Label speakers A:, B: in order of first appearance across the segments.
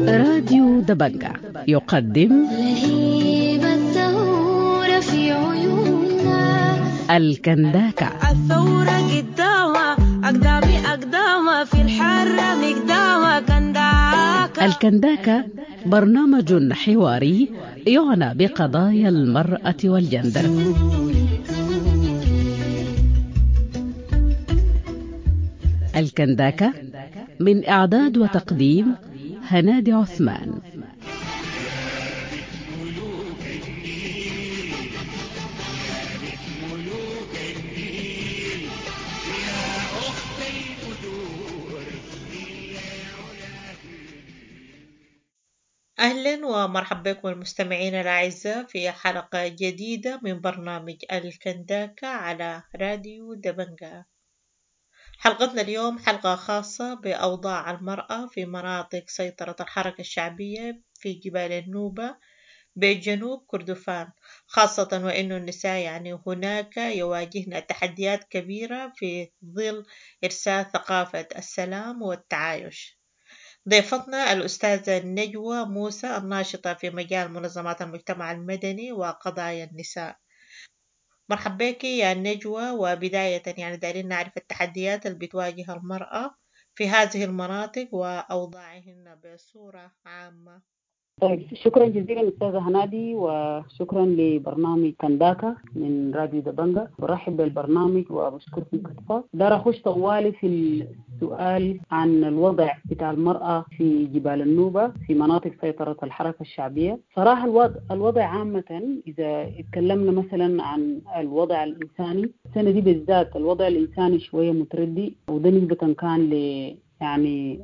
A: راديو دبنجة يقدم
B: لهيب الثورة في عيوننا.
A: الكنداكة.
C: الثورة قدامها أقدامي أقدامها في الحرة مقدامها كنداكة.
A: الكنداكة برنامج حواري يعنى بقضايا المرأة والجندر. الكنداكة من إعداد وتقديم هنادي عثمان.
D: أهلا ومرحبا بكم المستمعين الأعزاء في حلقة جديدة من برنامج الكنداكة على راديو دبنجة. حلقتنا اليوم حلقة خاصة بأوضاع المرأة في مناطق سيطرة الحركة الشعبية في جبال النوبة بجنوب كردفان، خاصة وإنه النساء يعني هناك يواجهن تحديات كبيرة في ظل إرساء ثقافة السلام والتعايش. ضيفتنا الأستاذة نجوى موسى الناشطة في مجال منظمات المجتمع المدني وقضايا النساء. مرحبا بك يا نجوى، وبداية يعني دايرين نعرف التحديات اللي بتواجه المرأة في هذه المناطق وأوضاعهن بصورة عامة.
E: طيب، شكرا جزيلا أستاذة هنادي، وشكرا لبرنامج كنداكا من راديو دبنجة. برحب بالبرنامج وبشكركم كثيرا. دار أخش طوالي في السؤال عن الوضع بتاع المرأة في جبال النوبة في مناطق سيطرة الحركة الشعبية. صراحة الوضع عامة، إذا اتكلمنا مثلا عن الوضع الإنساني السنة دي بالذات، الوضع الإنساني شوية متردي، وده نسبة كان ل يعني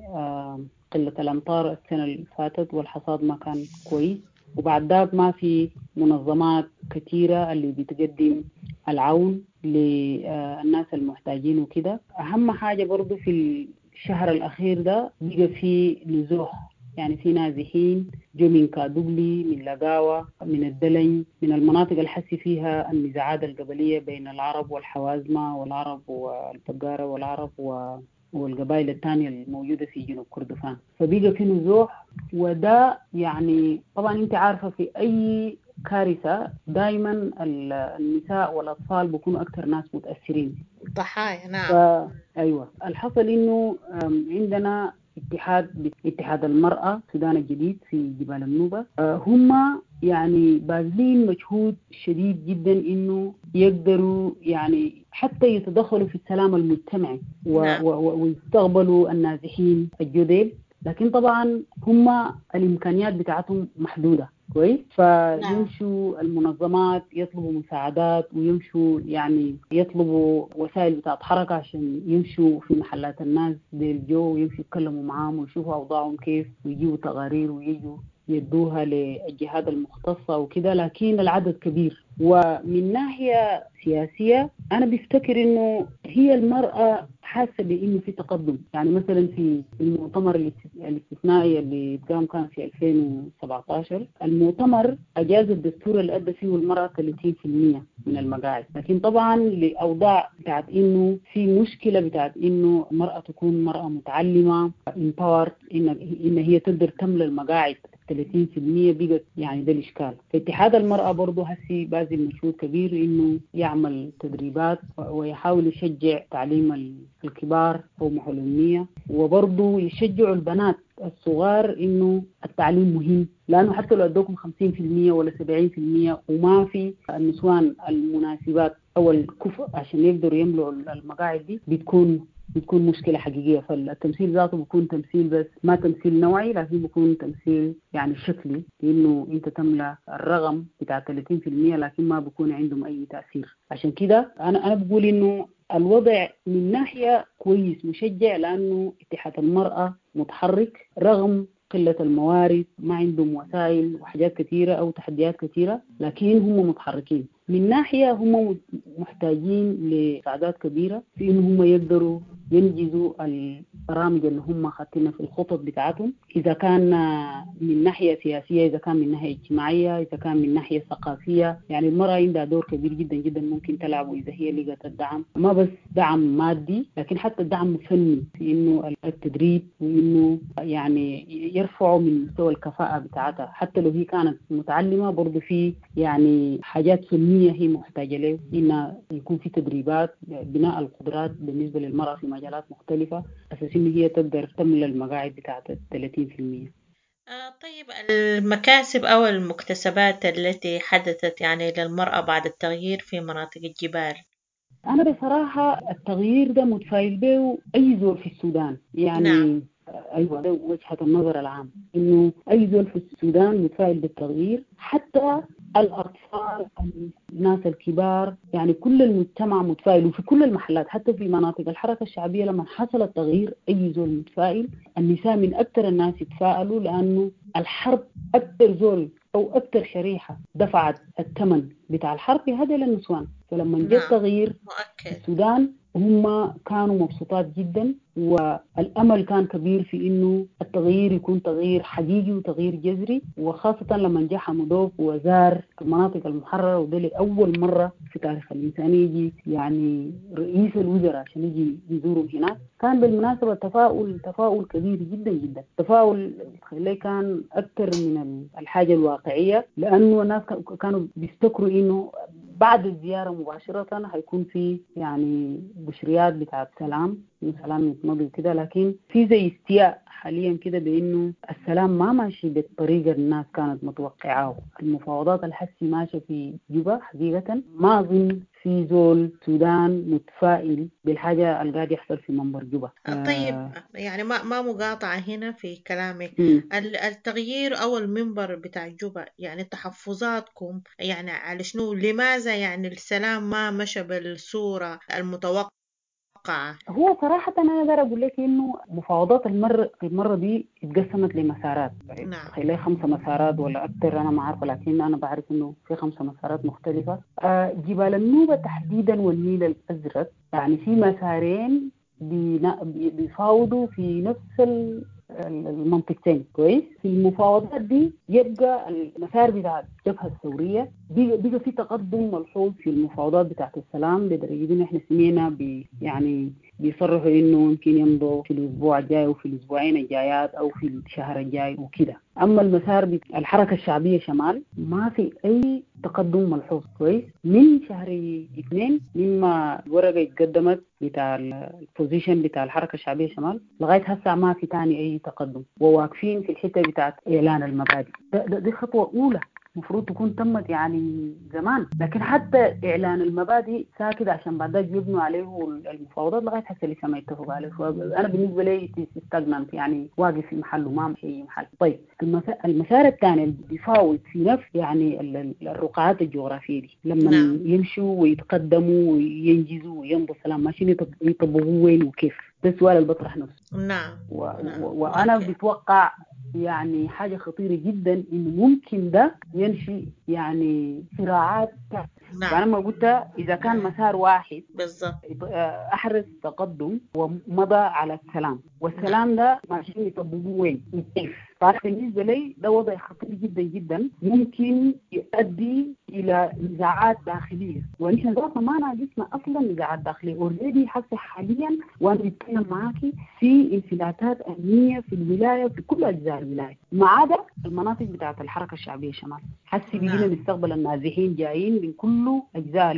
E: قلة الأمطار السنة اللي فاتت والحصاد ما كان كويس، وبعد ذاك ما في منظمات كثيرة اللي بتقدم العون للناس المحتاجين وكده. أهم حاجة برضو في الشهر الأخير ده بقى في نزوح، يعني في نازحين جو من كادوغلي، من لقاوة، من الدلن، من المناطق اللي حسي فيها النزاعات القبلية بين العرب والحوازمة والعرب والبقارة والعرب والقبائل الثانية الموجودة في جنوب كردفان. فبيجي في نزوح، وده يعني طبعا انت عارفة في أي كارثة دايما النساء والأطفال بيكونوا أكثر ناس متأثرين،
D: ضحايا. نعم.
E: أيوة، الحصل إنه عندنا اتحاد المرأة السودان الجديد في جبال النوبة، هم يعني باذلين مجهود شديد جدا إنه يقدروا يعني حتى يتدخلوا في السلام المجتمعي ويستقبلوا النازحين الجدد، لكن طبعا هم الإمكانيات بتاعتهم محدودة. كويس، فيمشوا المنظمات يطلبوا مساعدات، ويمشوا يعني يطلبوا وسائل بتاعت حركة عشان يمشوا في محلات الناس ديل جو، ويمشوا يتكلموا معاهم ويشوفوا أوضاعهم كيف، ويجيبوا تقارير ويجوا يدوها للجهات المختصة وكده، لكن العدد كبير. ومن ناحية سياسية أنا بفتكر إنه هي المرأة حاسة بإنه في تقدم، يعني مثلا في المؤتمر الاستثنائي اللي قام كان في 2017، المؤتمر أجاز الدستور اللي أدى فيه المرأة 30% من المقاعد، لكن طبعا لأوضاع بتاعت إنه في مشكلة بتاعت إنه المرأة تكون مرأة متعلمة empowered، إن هي تقدر تملى المقاعد 30% بقت يعني ده الإشكال. فاتحاد المرأة برضو هسي باذل مجهود كبير إنه يعمل تدريبات ويحاول يشجع تعليم الكبار أو محو الأمية، وبرضو يشجعوا البنات الصغار إنه التعليم مهم، لأنه حتى لو أدوكم 50% ولا 70% وما في النسوان المناسبات أو الكفء عشان يقدروا يملوا المقاعد دي، بتكون مشكلة حقيقية. فالتمثيل ذاته بيكون تمثيل بس ما تمثيل نوعي، لكن بيكون تمثيل يعني شكلي، لأنه أنت تملى الرقم بتاع 30% لكن ما بيكون عندهم أي تأثير. عشان كده أنا بقول إنه الوضع من ناحية كويس مشجع، لأنه اتحاد المرأة متحرك رغم قلة الموارد، ما عندهم وسائل وحاجات كثيرة أو تحديات كثيرة، لكن هم متحركين. من ناحية هم محتاجين لسعادات كبيرة في إنه هم يقدروا ينجزوا البرامج اللي هم خاتينها في الخطط بتاعتهم، إذا كان من ناحية سياسية، إذا كان من ناحية اجتماعية، إذا كان من ناحية ثقافية. يعني المرأة عندها دور كبير جدا جدا ممكن تلعبه إذا هي لقت الدعم، ما بس دعم مادي لكن حتى الدعم الفني في إنه التدريب وإنه يعني يرفعوا من مستوى الكفاءة بتاعتها. حتى لو هي كانت متعلمة برضو في يعني حاجات فنية هي محتاجة له، إنه يكون في تدريبات بناء القدرات بالنسبة للمرأة في مجالات مختلفة أساس إن هي تقدر تملى المقاعد بتاعت 30%.
D: طيب، المكاسب أو المكتسبات التي حدثت يعني للمرأة بعد التغيير في مناطق الجبال؟
E: أنا بصراحة التغيير ده متفائل به أي زول في السودان يعني.
D: نعم.
E: أيوة، ده وجهة النظر العام، إنه أي زول في السودان متفائل بالتغيير، حتى الأطفال، الناس الكبار، يعني كل المجتمع متفائل، وفي كل المحلات حتى في مناطق الحركة الشعبية لما حصل التغيير أي زول متفائل. النساء من أكثر الناس يتفائلوا، لأنه الحرب أكثر زول أو أكثر شريحة دفعت الثمن بتاع الحرب هذا للنسوان. فلما جاء التغيير في السودان هم كانوا مبسوطات جدا، والأمل كان كبير في إنه التغيير يكون تغيير حقيقي وتغيير جذري، وخاصة لما جاء حمدوك وزار المناطق المحررة، وده لأول مرة في تاريخ الإنسانية يجي يعني رئيس الوزراء عشان يجي يزورهم هناك. كان بالمناسبة تفاؤل كبير جدا جدا، تفاؤل كان أكثر من الحاجة الواقعية، لأنه الناس كانوا بيفتكروا إنه بعد الزيارة مباشرة هيكون في يعني بشريات بتاعت سلام، سلام يتمضي كده، لكن في زي استياء حاليا كده بأنه السلام ما ماشي بالطريقة الناس كانت متوقعاه. المفاوضات الحسي ماشية في جوبا حقيقة، ما أظن في زول سودان متفائل بالحاجة اللي قاعد يحصل في منبر جوبا.
D: طيب يعني ما مقاطعة هنا في كلامك. التغيير أو المنبر بتاع جوبا، يعني تحفظاتكم يعني على شنو؟ لماذا يعني السلام ما مشى بالصورة المتوقعة؟
E: هو صراحة أنا أقدر أقول لك إنه مفاوضات المرة دي اتقسمت لمسارات.
D: نعم.
E: تخيلي 5 مسارات ولا أكثر، أنا ما عارفة، لكن أنا بعرف إنه في 5 مسارات مختلفة. جبال النوبة تحديدا والنيل الأزرق، يعني في مسارين بيفاوضوا في نفس المنطقتين. كويس. في المفاوضات دي يبقى المسار بتاع الجبهة الثورية بقى في تقدم ملحوظ في المفاوضات بتاعت السلام، لدرجة إن إحنا سمعنا يعني بيصرحوا إنه ممكن يمضوا في الأسبوع الجاي وفي الأسبوعين الجايات أو في الشهر الجاي وكده. أما المسار الحركة الشعبية شمال ما في أي تقدم ملحوظ. كويس. من شهر 2 مما الورقة اتقدمت بتاع ال position بتاع الحركة الشعبية شمال لغاية هسه ما في تاني أي تقدم، وواقفين في الحتة بتاعت إعلان المبادئ. دي خطوة أولى المفروض تكون تمت يعني زمان، لكن حتى إعلان المبادئ ساكت عشان بعد ذلك يبنوا عليه المفاوضات لغاية حتى لسه ما يتفقوا عليه. أنا بالنسبة لي stagnant، يعني واقف في محله ما في محل. طيب المسار الثاني اللي بيفاوض في نفس يعني الرقعات الجغرافية دي لما
D: نعم.
E: يمشوا ويتقدموا وينجزوا ويمضوا سلام، ماشيين يطبقوا وين وكيف؟ ده السؤال اللي بطرح نفسه.
D: نعم.
E: وأنا بتوقع يعني حاجة خطيرة جدا إنه ممكن ده ينشئ يعني صراعات.
D: نعم.
E: فأنا ما قلت إذا كان مسار واحد
D: بالضبط
E: أحرز تقدم ومضى على السلام، والسلام ده ماشيين يطبقوه وين وكيف؟ فأنا بالنسبة لي ده وضع خطير جدا جدا، ممكن يؤدي إلى نزاعات داخلية، ونحن ذاتنا ما ناقصنا أصلا نزاعات داخلية already. حتى حاليا وأنا بتكلم معاكي في انفلاتات أمنية في الولاية في كل أجزاء الولاية ما عدا المناطق بتاعة الحركة الشعبية شمال. حسي بيجينا نستقبل النازحين جايين من كل أجزاء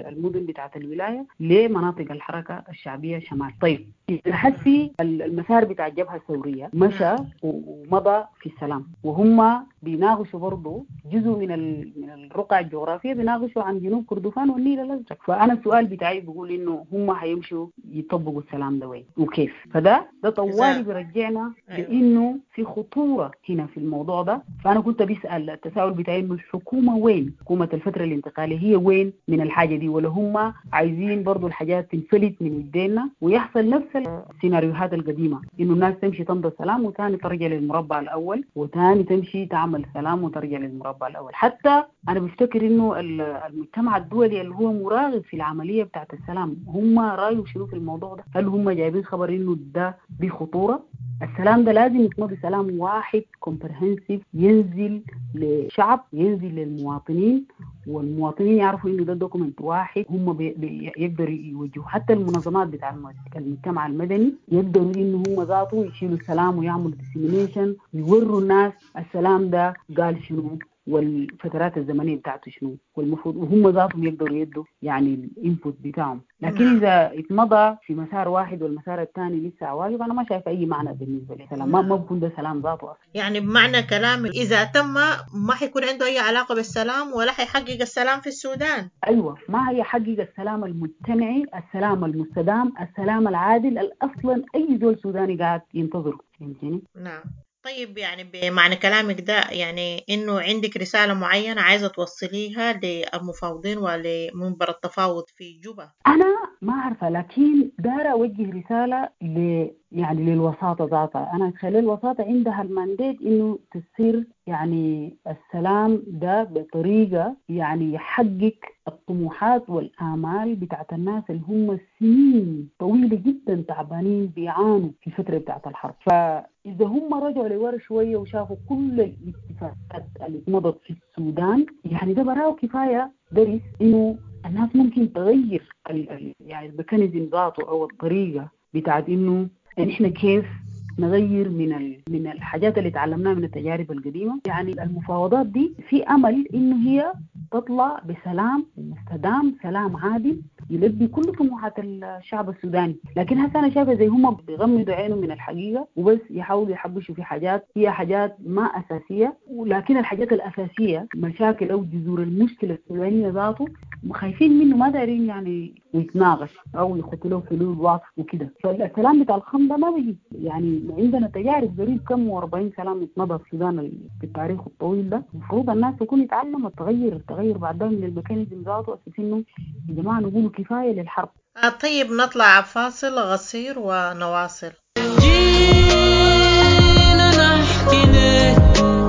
E: المدن بتاعة الولاية لمناطق الحركة الشعبية شمال. طيب حسي المسار بتاع الجبهة الثورية مشى ومضى في السلام، وهم بيناقشوا برضو جزء من الرقعة الجغرافية، بيناقشوا عن جنوب كردفان والنيل الأزرق. فأنا السؤال بتاعي بيقول إنه هم هيمشوا يطبقوا السلام ده وين وكيف؟ فده طوالي بيرجعنا لإنه في خطورة هنا في الموضوع ده. فأنا كنت بسأل التساؤل بتاعي إنه الحكومة وين؟ حكومة الفترة الانتقالية هي وين من الحاجة دي؟ ولا هم عايزين برضو الحاجات تنفلت من يدينا ويحصل نفس السيناريوهات القديمة، إنه الناس تمشي تمضي السلام وثاني ترجع للمربع الأول، وتاني تمشي تعمل سلام وترجع للمربع الأول. حتى أنا بفتكر إنه المجتمع الدولي اللي هو مراقب في العملية بتاعت السلام، هم رأيهم شنو في الموضوع ده؟ هل هم جايبين خبر إنه ده بخطورة؟ السلام ده لازم يكون بسلام واحد comprehensive، ينزل لشعب، ينزل للمواطنين، والمواطنين يعرفوا إنه ده document واحد هم يقدروا يوجهوا. حتى المنظمات بتاع المجتمع المدني يقدروا إنه هم ذاته يشيلوا السلام ويعملوا dissemination، ويوروا الناس السلام ده قال شنو والفترات الزمنية بتاعته شنو والمفروض، وهم ذاتهم يقدروا يدوا يعني ال input بتاعهم. لكن إذا اتمضى في مسار واحد والمسار الثاني لسه واقف، أنا ما شايفة أي معنى بالنسبة لي سلام، ما بكون ده سلام ذاته أصلا.
D: يعني بمعنى كلامي إذا تم ما حيكون عنده أي علاقة بالسلام ولا حيحقق السلام في السودان.
E: أيوة، ما هي حقق السلام المجتمعي، السلام المستدام، السلام العادل أصلا أي زول سوداني قاعد ينتظره. فهمتني؟
D: نعم. طيب يعني بمعنى كلامك ده يعني إنه عندك رسالة معينة عايزة توصليها للمفاوضين ولمنبر التفاوض في جوبا؟
E: أنا ما عارفة، لكن دايرة أوجه رسالة يعني للوساطة ذاتها. أنا أتخيل الوساطة عندها ال mandate إنه تصير يعني السلام ده بطريقة يعني يحقق الطموحات والآمال بتاعت الناس اللي هم سنين طويلة جدا تعبانين بيعانوا في الفترة بتاعت الحرب. فإذا هم رجعوا لورا شوية وشافوا كل الاتفاقات اللي مضت في السودان، يعني ده براو كفاية درس إنه الناس ممكن تغير يعني ال mechanism ذاته أو الطريقة بتاعت إنه نحن كيف نغير من الحاجات اللي تعلمناها من التجارب القديمة. يعني المفاوضات دي في أمل إنه هي تطلع بسلام مستدام، سلام عادل يلبي كل طموحات الشعب السوداني. لكن هسه أنا شايفة زي هم بيغمضوا عينهم من الحقيقة وبس يحاولوا يحبشوا في حاجات هي حاجات ما أساسية، ولكن الحاجات الأساسية مشاكل أو جذور المشكلة السودانية ذاته خايفين منه، ما دارين يعني يتناقش أو يخطوا له حلول واضحة وكده. فالسلام بتاع الخم ده ما بيجي. يعني عندنا تجارب قريب كم و40 سلام اتمضى في السودان في التاريخ الطويل ده، المفروض الناس تكون يتعلموا التغير بعد ده من ال mechanism ذاته، أساس إنه يا جماعة نقول كفاية للحرب.
D: طيب نطلع فاصل قصير ونواصل.
F: جينا نحكي لك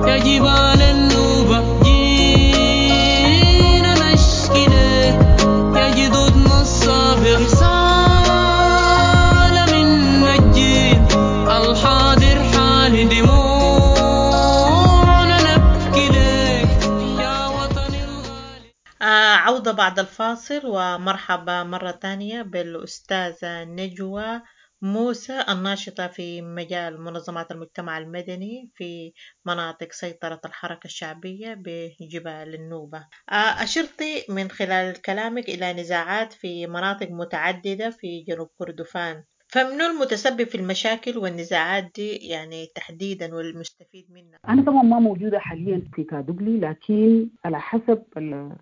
F: يا جبال النوبة، جينا نشكي لك يا جدودنا الصابر، رسالة من الجيل الحاضر حالي دموعنا نبكي لك يا وطني الغالي.
D: عودة بعد الفاصل، ومرحبا مرة تانية بالأستاذة نجوى موسى الناشطة في مجال منظمات المجتمع المدني في مناطق سيطرة الحركة الشعبية بجبال النوبة. أشرتي من خلال كلامك إلى نزاعات في مناطق متعددة في جنوب كردفان، فمن المتسبب في المشاكل والنزاعات دي يعني تحديدا والمستفيد منها؟
E: أنا طبعا ما موجودة حاليا في كادوغلي، لكن على حسب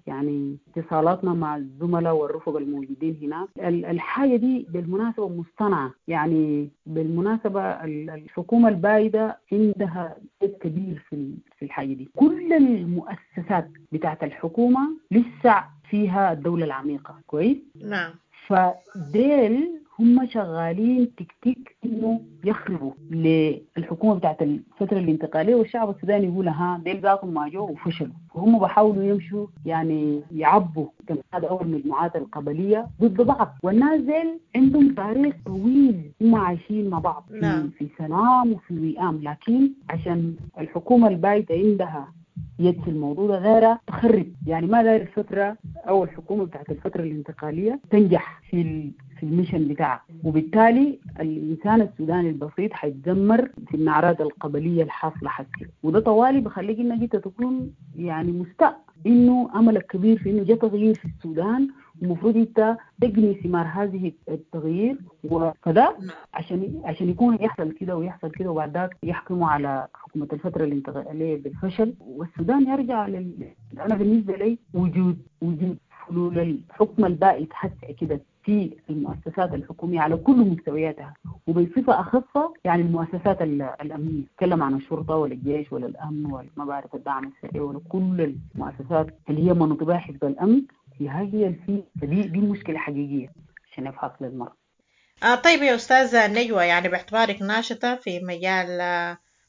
E: يعني اتصالاتنا مع الزملاء والرفق الموجودين هناك، الحاجة دي بالمناسبة مصطنعة. يعني بالمناسبة الحكومة البايدة عندها جهد كبير في الحاجة دي. كل المؤسسات بتاعت الحكومة لسه فيها الدولة العميقة، كويس؟
D: نعم.
E: فديل هم شغالين تكتيك انه يخربوا للحكومة بتاعت الفترة الانتقالية، والشعب السوداني يقول ها ديل ذاتهم ما جو وفشلوا، وهم بحاولوا يمشوا يعني يعبوا هذا اول المجموعات القبلية ضد بعض. والناس ديل عندهم تاريخ طويل، هم عايشين مع بعض
D: نعم.
E: في سلام وفي وئام، لكن عشان الحكومة البايته عندها يد في الموضوع ده غيرها تخرب. يعني ما داير الفترة أو الحكومة بتاعت الفترة الانتقالية تنجح في ال mission بتاعها، وبالتالي الإنسان السوداني البسيط حيتدمر في النعرات القبلية الحاصلة حسي. وده طوالي بخليك إنك أنت تكون يعني مستاء إنه أملك كبير في إنه جاء تغيير في السودان، ومفروض أنت تجني ثمار هذه التغيير وكذا عشان يكون يحصل كده ويحصل كده، وبعد ذاك يحكموا على حكومة الفترة الانتقالية بالفشل والسودان يرجع أنا بالنسبة لي وجود حلول الحكم البائد حتى كده في المؤسسات الحكومية على كل مستوياتها، وبصفة أخص يعني المؤسسات الأمنية، تكلم عن الشرطة ولا الجيش ولا الأمن ولا ما بعرف الدعم السريع ولا كل المؤسسات اللي هي مناطبها حزب الأمن، هي دي مشكلة حقيقية عشان يفحص للمرض.
D: طيب يا أستاذة نجوى، يعني باعتبارك ناشطة في مجال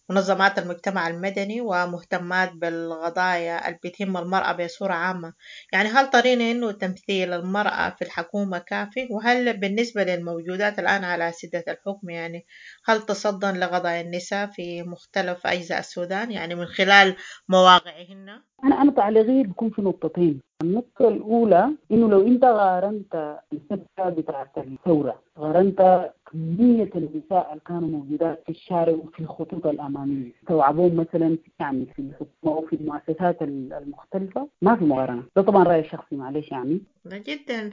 D: منظمات المجتمع المدني ومهتمات بالقضايا اللي بتهم المرأة بصورة عامة، يعني هل ترين إنه تمثيل المرأة في الحكومة كافي؟ وهل بالنسبة للموجودات الآن على سدة الحكم يعني هل تصدن لقضايا النساء في مختلف أجزاء السودان يعني من خلال مواقعهن؟
E: أنا تعليقي بيكون في نقطتين. النقطة الأولى إنه لو أنت قارنت الفترة بتاعت الثورة، قارنت كمية النساء اللي كانوا موجودات في الشارع وفي الخطوط الأمامية، استوعبوهم مثلا يعني في الحكومة أو في المؤسسات المختلفة، ما في مقارنة. ده طبعا رأي شخصي معلش يعني
D: جدا.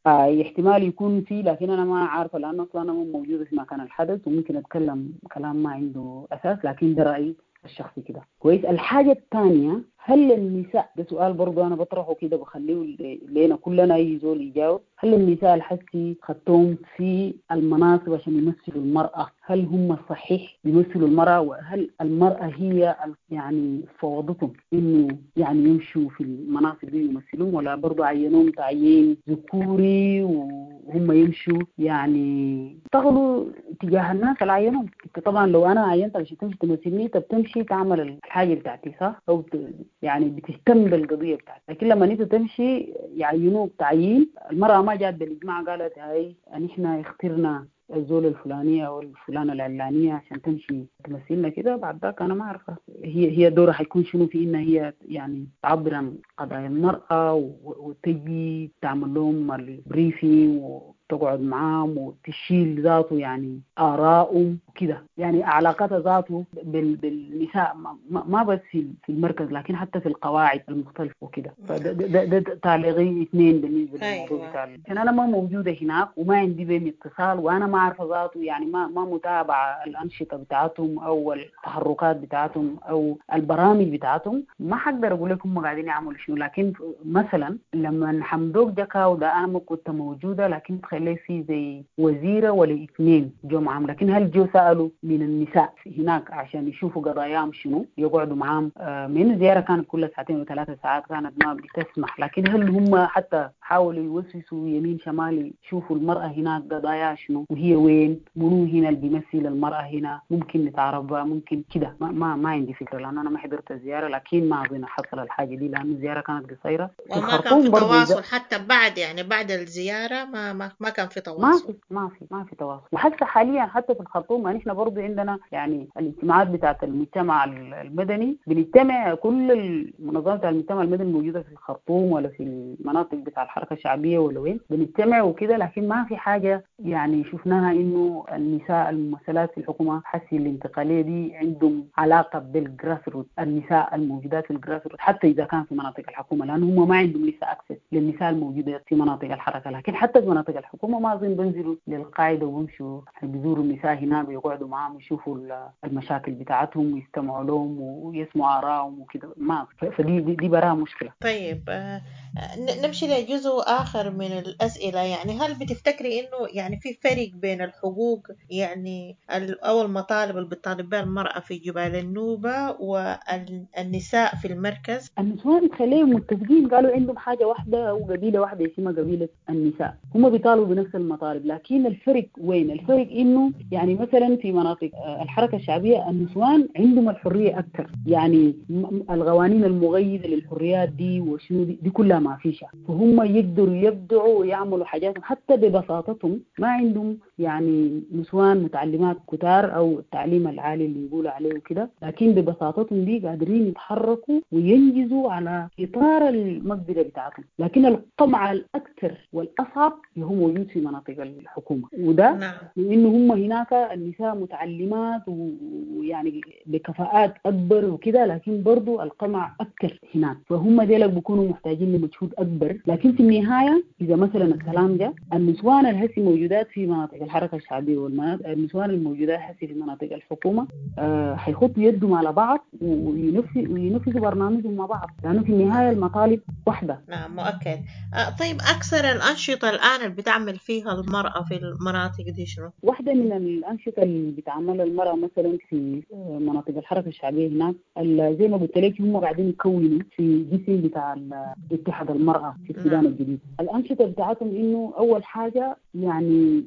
E: احتمال يكون فيه، لكن أنا ما عارفة لأنه أصلا أنا موجودة في مكان الحدث وممكن أتكلم كلام ما عنده أساس، لكن ده رأيي الشخصي كده. كويس. الحاجة الثانية، هل النساء، ده سؤال برضو أنا بطرحه كده بخليه لينا كلنا أي زول يجاوب، هل النساء الحسي خدتهم في المناصب عشان يمثلوا المرأة، هل هم صحيح بيمثلوا المرأة؟ وهل المرأة هي يعني فوضتهم إنه يعني يمشوا في المناصب دي يمثلون، ولا برضو عينوهم تعيين ذكوري وهم يمشوا يعني يشتغلوا تجاه الناس اللي عينوهم؟ طبعا لو أنا عينت عشان تمشي تمثلني، طب تمشي تعمل الحاجة بتاعتي صح، أو يعني بتهتم بالقضية بتاعتك. لكن لما انت تمشي يعينوك تعيين، المرأة ما جات بالإجماع قالت هاي نحن اخترنا الزول الفلانية أو الفلانة العلانية عشان تمشي تمثلنا كده، بعد ذاك أنا ما عارفة هي دورها حيكون شنو في إنها هي يعني تعبر عن قضايا المرأة وتجي تعمل لهم ال briefing وتقعد معاهم وتشيل ذاته يعني آرائهم وكده، يعني علاقتها ذاته بالنساء ما بس في المركز لكن حتى في القواعد المختلفة وكده. فده ده تعليقي اثنين بالنسبة للموضوع بتاع، عشان أنا ما موجودة هناك وما عندي بهم اتصال وأنا ما عارفة ذاته يعني ما متابعة الأنشطة بتاعتهم أو التحركات بتاعتهم أو البرامج بتاعتهم، ما حقدر أقول لكم هم قاعدين يعملوا شنو. لكن مثلا لما حمدوك جاكاو ده أنا ما كنت موجودة، لكن تخلي في زي وزيرة ولا اثنين جو معهم، لكن هل جو سألوا من النساء هناك عشان يشوفوا قضاياهم شنو يقعدوا معاهم؟ من الزيارة كانت كل 2 و3 ساعات كانت ما بتسمح، لكن هل هم حتى حاولوا يوسوسوا يمين شمال يشوفوا المرأة هناك قضايا شنو وهي وين، منو هنا اللي بيمثل المرأة هنا، ممكن نتعرف ممكن كده؟ ما عندي فكرة لأن أنا ما حضرت الزيارة، لكن ما أظن حصل الحاجة دي لأن الزيارة كانت قصيرة.
D: وما كان في تواصل حتى بعد، يعني بعد الزيارة ما كان في تواصل،
E: ما في تواصل. وحتى حاليا حتى في الخرطوم نحن برضو عندنا يعني الاجتماعات بتاعة المجتمع المدني، بنجتمع كل المنظمات بتاع المجتمع المدني الموجودة في الخرطوم ولا في المناطق بتاع الحركة الشعبية ولا وين، بنجتمع وكده، لكن ما في حاجة يعني شفناها إنه النساء الممثلات في الحكومة حسي الانتقالية دي عندهم علاقة بال grassroot، النساء الموجودات في ال grassroot حتى إذا كان في مناطق الحكومة، لأنه هم ما عندهم لسه access للنساء الموجودات في مناطق الحركة، لكن حتى في مناطق الحكومة ما أظن بنزلوا للقاعدة وبمشوا بيزوروا النساء هناك ويقعدوا معاهم ويشوفوا المشاكل بتاعتهم ويستمعوا لهم ويسمعوا آرائهم وكده، ما فدي دي براها مشكلة.
D: طيب نمشي لجزء آخر من الأسئلة، يعني هل بتفتكري إنه يعني في فرق بين الحقوق يعني أو المطالب اللي بتطالب بها المرأة في جبال النوبة والنساء في المركز؟
E: النسوان خليهم متفقين، قالوا عندهم حاجة واحدة أو قبيلة واحدة اسمها قبيلة النساء، هم بيطالبوا بنفس المطالب، لكن الفرق وين؟ الفرق إنه يعني مثلا في مناطق الحركة الشعبية النسوان عندهم الحرية أكثر، يعني القوانين المغيدة للحريات دي وشنو دي كلها ما فيش، فهم يقدروا يبدعوا ويعملوا حاجاتهم حتى ببساطتهم، ما عندهم يعني نسوان متعلمات كتار أو التعليم العالي اللي يقولوا عليه وكده، لكن ببساطتهم دي قادرين يتحركوا وينجزوا على إطار المقدرة بتاعتهم. لكن القمع الأكثر والأصعب هو موجود في مناطق الحكومة، وده لأنه هم هناك النساء متعلمات ويعني بكفاءات أكبر وكده، لكن برضو القمع أكثر هناك، فهم ديلك بيكونوا محتاجين لمجهود أكبر. لكن في النهاية إذا مثلا الكلام ده النسوان الهسي موجودات في مناطق الحركة الشعبية والنسوان الموجودات هسي في مناطق الحكومة حيخطوا يدهم على بعض وينفذوا برنامجهم مع بعض، لأنه في النهاية المطالب واحدة.
D: نعم مؤكد. طيب أكثر الأنشطة الآن اللي بتعمل فيها المرأة في المناطق دي شنو؟
E: واحدة من الأنشطة اللي بتعملها المرأة مثلا في مناطق الحركة الشعبية هناك، زي ما قلت لك هم قاعدين يكونوا في جسم بتاع اتحاد اتحاد المرأة في السودان الجديد. الأنشطة بتاعتهم إنه أول حاجة يعني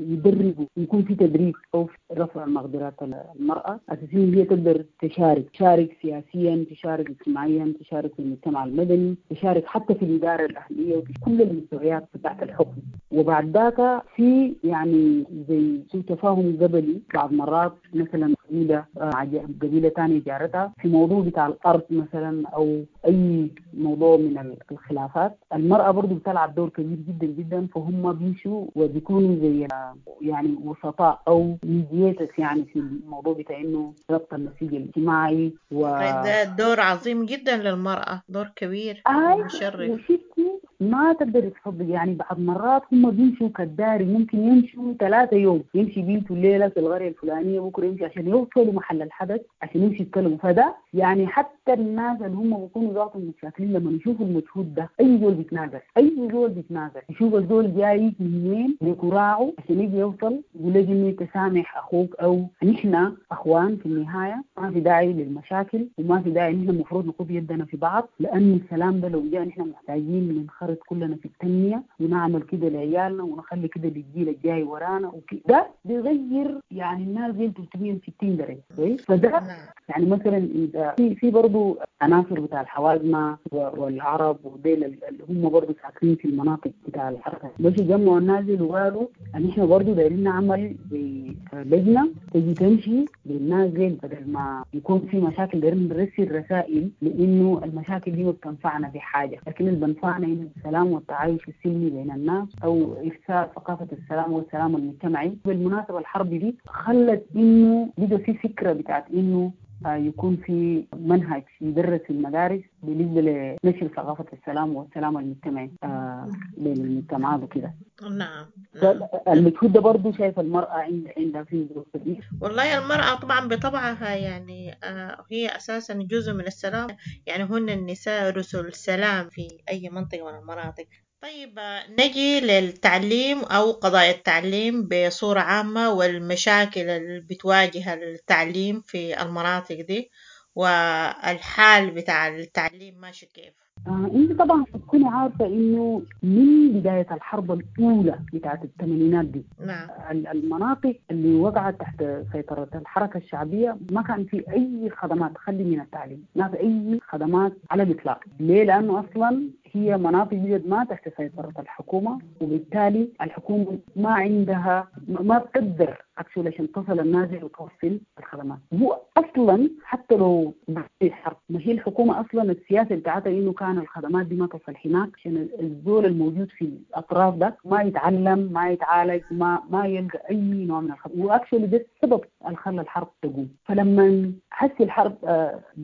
E: يدربوا، يكون في تدريب أو في رفع مقدرات المرأة أساسا هي تقدر تشارك سياسيا، تشارك اجتماعيا، تشارك في المجتمع المدني، تشارك حتى في الإدارة الأهلية وفي كل المستويات بتاعت الحكم. وبعد ذاك في يعني زي سوء تفاهم قبلي بعض مرات، مثلا قبيلة قبيلة ثانية جارتها في موضوع بتاع الأرض مثلا أو أي موضوع من الخلافات، المرأة برضو بتلعب دور كبير جدا جدا، فهم بيمشوا وبيكونوا زي يعني وسطاء أو mediators يعني في الموضوع بتاع إنه ربط النسيج الاجتماعي.
D: ده دور عظيم جدا للمرأة، دور كبير ومشرف.
E: وشفتي ما تقدر تصدق يعني بعض مرات هم بيمشوا كداري، ممكن يمشوا 3 يوم، يمشي بيتوا الليلة في القرية الفلانية، بكرة يمشي عشان يوصلوا محل الحدث عشان يمشي يتكلموا. فده يعني حتى الناس اللي هم بيكونوا ذاتهم متشاكلين لما يشوفوا المجهود ده، أي زول بيتنازل، أي زول بيتنازل، يشوف الزول جاي من وين بكراعه عشان يجي يوصل، يقول لك إنه تسامح أخوك أو نحن أخوان في النهاية، ما في داعي للمشاكل وما في داعي، نحن المفروض نخط يدنا في بعض، لأن السلام ده لو جاء نحن محتاجين ننخرط كلنا في التنمية ونعمل كده لعيالنا ونخلي كده للجيل الجاي ورانا وكده. بيغير يعني الناس زي 360 درجة. فده يعني مثلا إذا في برضو عناصر بتاع الحوازمة والعرب وديل اللي هم برضو ساكنين في المناطق بتاع الحركة، بس جمعوا الناس وقالوا ان احنا برضو دايرين نعمل زي لجنة تجي تمشي للناس ديل، بدل ما يكون في مشاكل دايرين نرسل رسائل لانه المشاكل دي ما بتنفعنا في حاجة، لكن اللي بنفعنا إنه السلام والتعايش السلمي بين الناس او ارساء ثقافة السلام والسلام المجتمعي. بالمناسبة الحرب دي خلت انه بقى في فكرة بتاعت انه يكون في منهج يدرس في المدارس بالنسبة لنشر ثقافة السلام والسلام المجتمعي بين المجتمعات وكده.
D: نعم.
E: المجهود ده برضه شايف المرأة عندها فيه دور كبير.
D: والله المرأة طبعا بطبعها يعني هي أساسا جزء من السلام، يعني هن النساء رسل السلام في أي منطقة من المناطق. طيب نجي للتعليم أو قضايا التعليم بصورة عامة والمشاكل اللي بتواجه التعليم في المناطق دي، والحال بتاع التعليم ماشي كيف؟
E: انت طبعا تكوني عارفة انه من بداية الحرب الاولى بتاعت الثمانينات دي،
D: نعم،
E: المناطق اللي وقعت تحت سيطرة الحركة الشعبية ما كان في اي خدمات خلي من التعليم، ما في اي خدمات على الاطلاق. ليه؟ لانه اصلا هي مناطق جد ما تحت سيطرة الحكومة، وبالتالي الحكومة ما عندها ما بتقدر actually عشان تصل النازل وتوصل الخدمات. هو اصلا حتى لو في حرب، ما هي الحكومة اصلا السياسة بتاعتها انه كان الخدمات دي ما تصل هناك عشان الزول الموجود في الاطراف ده ما يتعلم، ما يتعالج، ما يلقى اي نوع من الخدمات. و actually ده السبب اللي خلى الحرب تقوم. فلما حس الحرب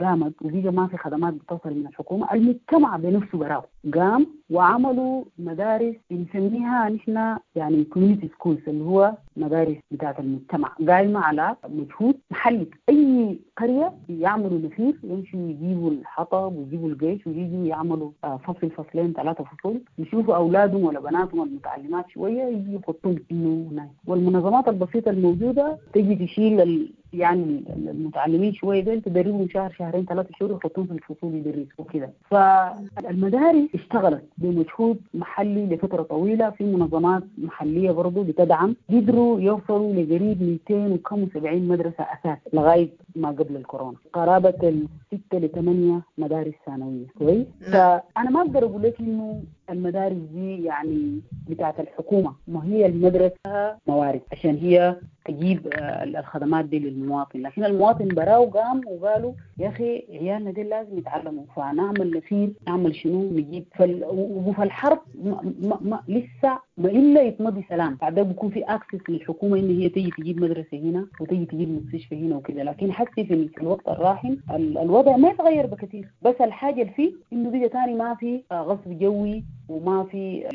E: قامت وبقى ما في خدمات بتصل من الحكومة، المجتمع بنفسه براو قام وعملوا مدارس بنسميها نحن يعني community schools، اللي هو مدارس بتاعت المجتمع قايمة على مجهود محلي. أي قرية يعملوا نفير، يمشوا يجيبوا الحطب ويجيبوا الجيش ويجوا يعملوا فصل فصلين 3 فصول، يشوفوا أولادهم ولا بناتهم المتعلمات شوية يجي يحطوهم إنه هناك. والمنظمات البسيطة الموجودة تجي تشيل يعني المتعلمين شوية دول تدربهم شهر شهرين 3 شهور يحطوهم في الفصول يدرسوا وكده. فالمدارس اشتغلت بمجهود محلي لفترة طويلة، في منظمات محلية برضو بتدعم، قدروا يوصلوا لقريب 270 مدرسة أساس لغاية ما قبل الكورونا، قرابة 6 ل 8 مدارس ثانوية. كويس. فأنا ما أقدر أقول لك إنه المدارس دي يعني بتاعت الحكومة، ما هي المدرسة موارد عشان هي تجيب الخدمات دي للمواطن، لكن المواطن براو قام وقالوا يا أخي عيالنا دي لازم يتعلموا، فنعمل نفير، نعمل شنو، نجيب. وفي الحرب ما ما لسه ما إلا يتمضي سلام، بعدها بيكون في access للحكومة إن هي تيجي تجيب مدرسة هنا وتيجي تجيب مستشفى هنا وكده. لكن حتى في الوقت الراهن الوضع ما يتغير بكثير، بس الحاجة اللي فيه إنه بقى تاني ما في غصب جوي وما في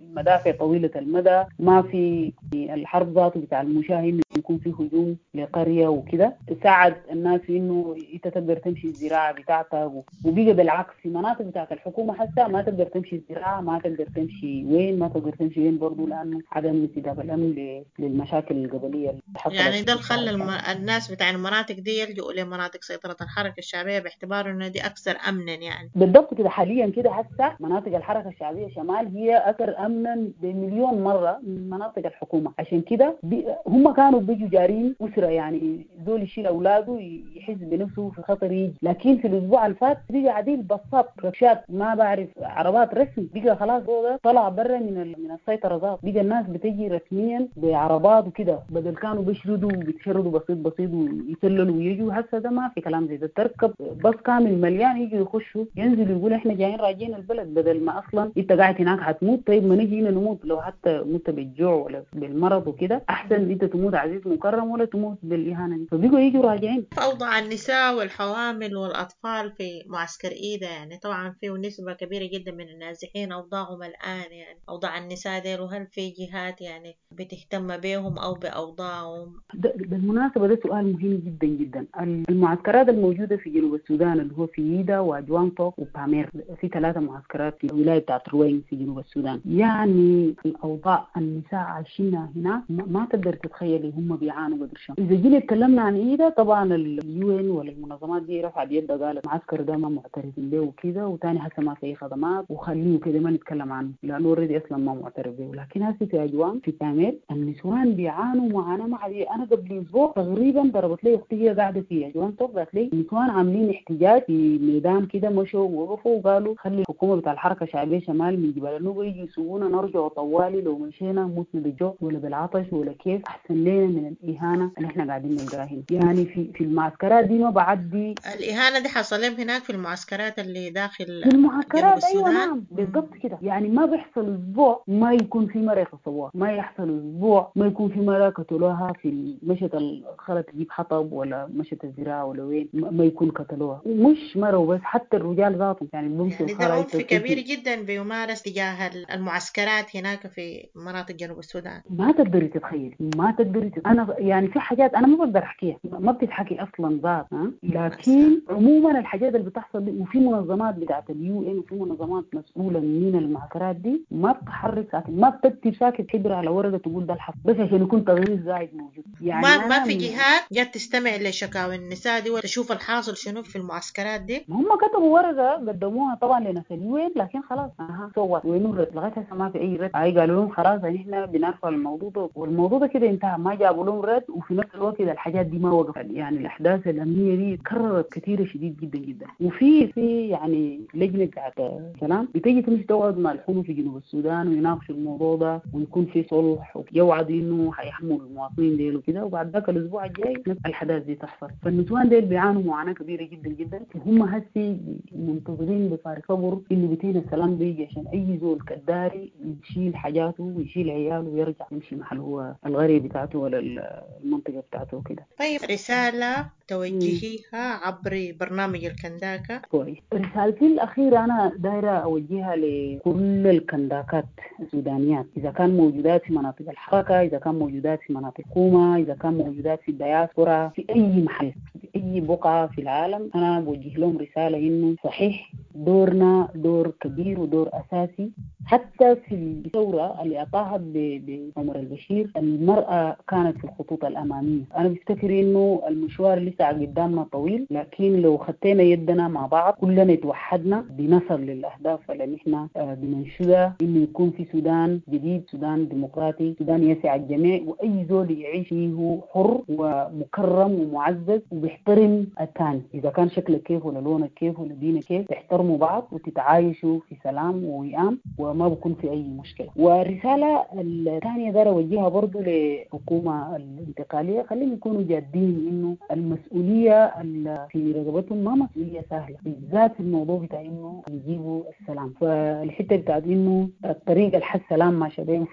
E: المدافع طويلة المدى، ما في الحرب ذاته بتاع المشاهد يكون في هجوم لقرية وكده، ساعد الناس في انه انت تقدر تمشي الزراعة بتاعتك. وبقى بالعكس في مناطق بتاعت الحكومة حتى ما تقدر تمشي الزراعة، ما تقدر تمشي وين، ما تقدر تمشي وين برضه، لانه عدم انسداد الامن للمشاكل القبلية اللي حصلت.
D: يعني ده اللي خلى الناس بتاع المناطق دي يلجؤوا لمناطق سيطرة الحركة الشعبية باعتبار انه دي اكثر امنا يعني.
E: بالضبط كده. حاليا كده هسه مناطق الحركة الشعبية شمال هي اكثر امنا بمليون مرة من مناطق الحكومة. عشان كده هم كانوا بيجوا جارين اسره، يعني زول يشيل اولاده يحس بنفسه في خطر يجي، لكن في الاسبوع اللي فات بقى عديل بصات ركشات ما بعرف عربات رسمي، بقى خلاص هو طلع برا من السيطرة ذات، بقى الناس بتجي رسميا بعربات وكده، بدل كانوا بيشردوا وبيتشردوا بسيط بسيط ويسللوا ويجوا. هسه ده ما في كلام زي ده، تركب بس كامل مليان يجوا يخشوا ينزلوا يقولوا احنا جايين راجعين البلد، بدل ما اصلا انت قاعد هناك هتموت، طيب ما نجي هنا نموت، لو حتى مت بالجوع ولا بالمرض وكده احسن انت تموت عزيز مكرم ولا تموت بالاهانه دي. فبقوا يجوا راجعين.
D: اوضاع النساء والحوامل والاطفال في معسكر ايدا يعني طبعا فيه نسبه كبيرة جدا من النازحين اوضاعهم الان يعني اوضاع النساء ديل، وهل في جهات يعني بتهتم بهم او باوضاعهم؟
E: بالمناسبة ده سؤال مهم جدا جدا. المعسكرات الموجودة في جنوب السودان اللي هو في ايدا واجوانتوك وبامير، في 3 معسكرات في الولاية بتاعت روين في جنوب السودان. يعني الاوضاع النساء عايشينها هناك ما تقدر تتخيلي هم بيعانوا قدر شنو. اذا جينا تكلمنا عن ايدا طبعا ال UN ولا المنظمات دي رفعت يدها قالت المعسكر ده ما معترفين به وكذا، وثاني هسه ما في خدمات وخليه كده ما نتكلم عنه لانه already اصلا ما معترف به. لكن هسه في اجوان في بامير النسوان بيعانوا معاناة ما عادية. انا قبل اسبوع تقريبا ضربت لي اختي هي قاعدة في اجوان توك، قالت لي النسوان عاملين احتجاج في ميدان كده، مشوا ووقفوا وقالوا خلي الحكومة بتاع الحركة الشعبية شمال من جبال النوبة يجوا يسوونا نرجع طوالي، لو مشينا متنا بالجوع ولا بالعطش ولا كيف، احسن لنا من الاهانة اللي احنا قاعدين نلقاها هنا. يعني في المعسكرات دي ما بعدي
D: الاهانة دي حصل لهم هناك في المعسكرات اللي داخل
E: في المعسكرات. ايوه نعم بالضبط كده. يعني ما بيحصل اسبوع ما يكون في مرة يغتصبوها، ما يحصل اسبوع ما يكون في مرة قتلوها في مشت الخلط تجيب حطب ولا مشت الزراعة ولا وين ما يكون قتلوها، ومش مرة وبس، حتى الرجال ذاتهم يعني بيمشوا.
D: يعني ده عنف كبير جدا بيمارس تجاه المعسكرات هناك في مناطق جنوب السودان.
E: ما تقدري تتخيلي، ما تقدري انا يعني في حاجات انا ما بقدر احكيها، ما بتتحكي اصلا ذات، لكن عموما الحاجات اللي بتحصل دي، وفي منظمات بتاعت ال UN وفي منظمات مسؤولة من المعسكرات دي ما بتحرك ساكت، ما بتكتب ساكت حبر على ورقة تقول ده الحق، بس عشان يكون تغيير زايد موجود. يعني
D: ما في جهات جت تستمع لشكاوي النساء دي وتشوف الحاصل شنو في المعسكرات دي.
E: هم كتبوا ورقة قدموها طبعا لناس ال UN، لكن خلاص سوت وين الرد؟ لغاية هسه ما في اي رد. هاي قالوا لهم خلاص احنا بنرفع الموضوع ده، والموضوع ده كده انتهى، ما جابوا لهم رد. وفي نفس الوقت الحاجات دي ما وقفت، يعني الاحداث الامنية دي تكررت كثيرة شديد جدا جدا. وفي يعني لجنة بتاعت سلام بتيجي تمشي تقعد مع الحكومة في جنوب السودان ويناقشوا الموضوع ده ويكون في صلح ويوعدوا انه حيحموا المواطنين ديل وكده، وبعد ذاك الاسبوع الجاي نفس الحداث دي تحصل. فالنسوان ديل بيعانوا معاناة كبيرة جدا جدا، وهم هسي منتظرين بفارغ صبر انه بتين السلام بيجي عشان اي زول كداري يشيل حاجاته ويشيل عياله ويرجع يمشي محل هو الغريب بتاعته ولا المنطقة بتاعته وكده.
D: طيب رسالة توجهيها عبر برنامج الكنداكة؟
E: كويس. رسالتي الأخيرة أنا دايرة أوجهها لكل الكنداكات السودانيات، إذا كان موجودات في مناطق الحركة، إذا كان موجودات في مناطق الحكومة، إذا كان موجودات في الدياسبورا، في أي محل في أي بقعة في العالم، أنا بوجه لهم رسالة إنه صحيح دورنا دور كبير ودور أساسي. حتى في الثورة اللي أطاحت بعمر البشير المرأة كانت في الخطوط الأمامية. أنا بفتكر إنه المشوار لسه قدامنا طويل، لكن لو خطينا يدنا مع بعض كلنا توحدنا بنصل للأهداف اللي نحن بننشدها، إنه يكون في سودان جديد، سودان ديمقراطي، سودان يسع الجميع، وأي زول يعيش فيه حر ومكرم ومعزز وبيحترم الثاني، إذا كان شكلك كيف ولا لونك كيف ولا دينك كيف، تحترموا بعض وتتعايشوا في سلام ووئام وما بكون في أي مشكلة. والرسالة الثانية دار أوجهها برضو للحكومة الانتقالية، خليهم يكونوا جادين إنه المسؤولية اللي في رقبتهم ما مسؤولية سهلة، بالذات في الموضوع بتاع إنه يجيبوا السلام. فالحتة بتاعت إنه الطريقة الحس سلام ما شبيه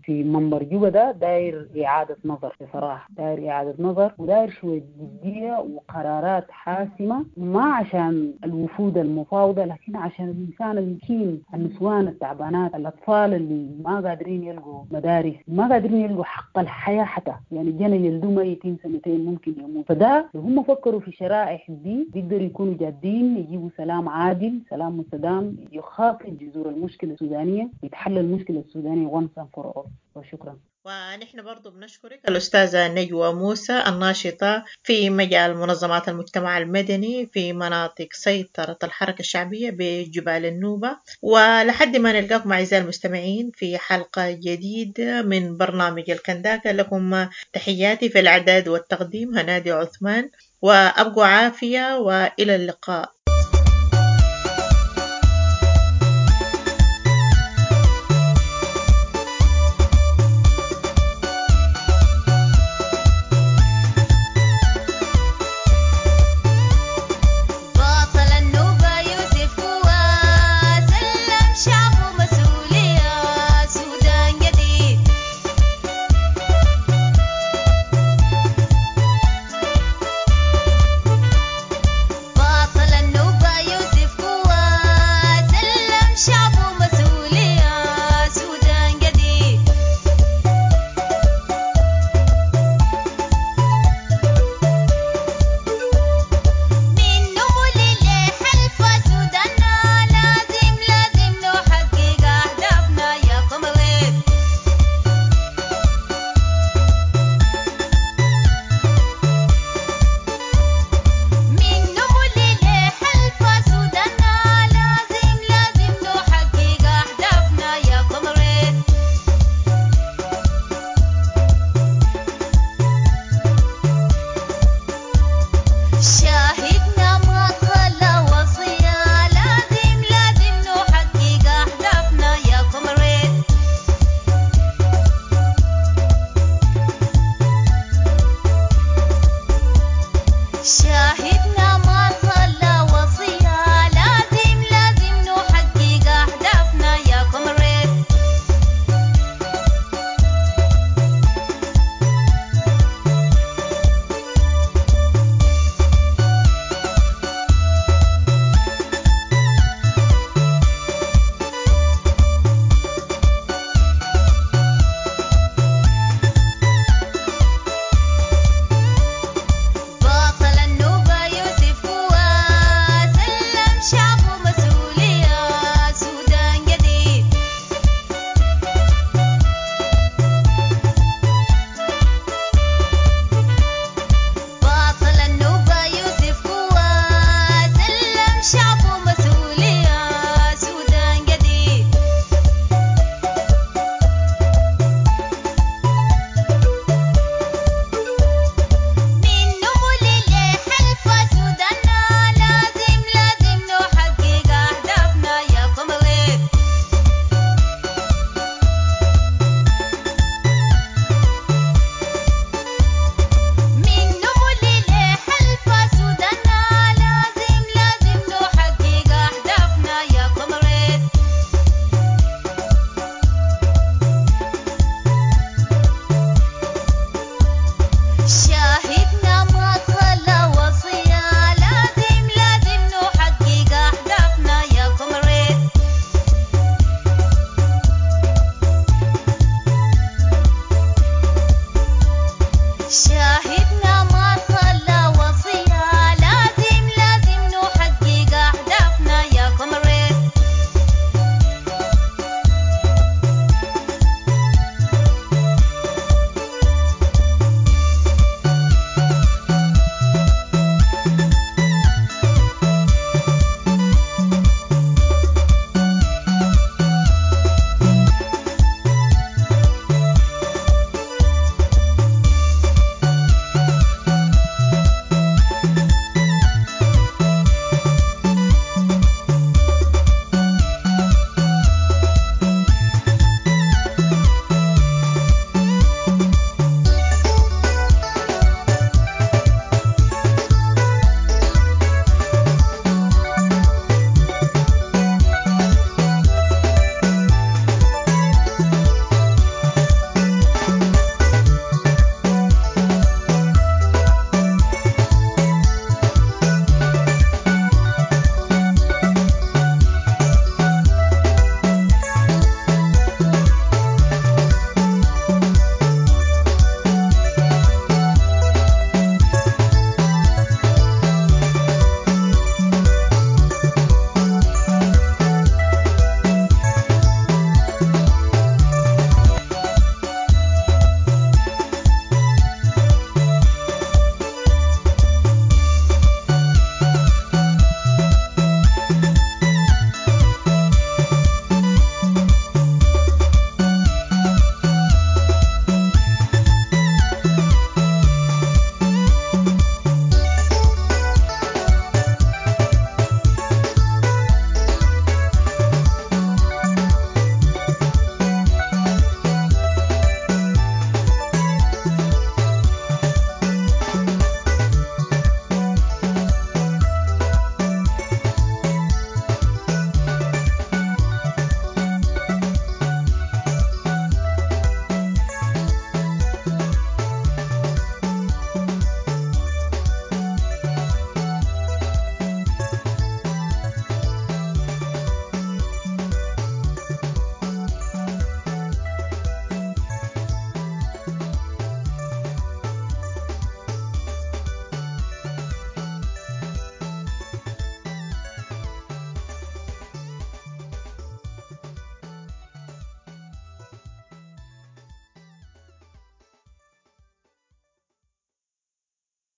E: في منبر جوبا ده داير إعادة نظر بصراحة، داير إعادة نظر وداير شوية جدية وقرارات حاسمة، ما عشان الوفود المفاوضة لكن عشان الإنسان المسكين، النسوان التعبانات البنات، الأطفال اللي ما قادرين يلقوا مدارس، ما قادرين يلقوا حق الحياة حتى، يعني جنى يلدوا ميتين سنتين ممكن يموت. فده لو هم فكروا في شرائح دي بيقدروا يكونوا جادين، يجيبوا سلام عادل، سلام مستدام يخاطب جذور المشكلة السودانية، يتحل المشكلة السودانية once and for all. وشكرا.
D: ونحن برضو بنشكرك الأستاذة نجوى موسى الناشطة في مجال منظمات المجتمع المدني في مناطق سيطرة الحركة الشعبية بجبال النوبة. ولحد ما نلقاكم أعزائي المستمعين في حلقة جديدة من برنامج الكنداكة، لكم تحياتي في الإعداد والتقديم هنادي عثمان، وأبقوا عافية وإلى اللقاء.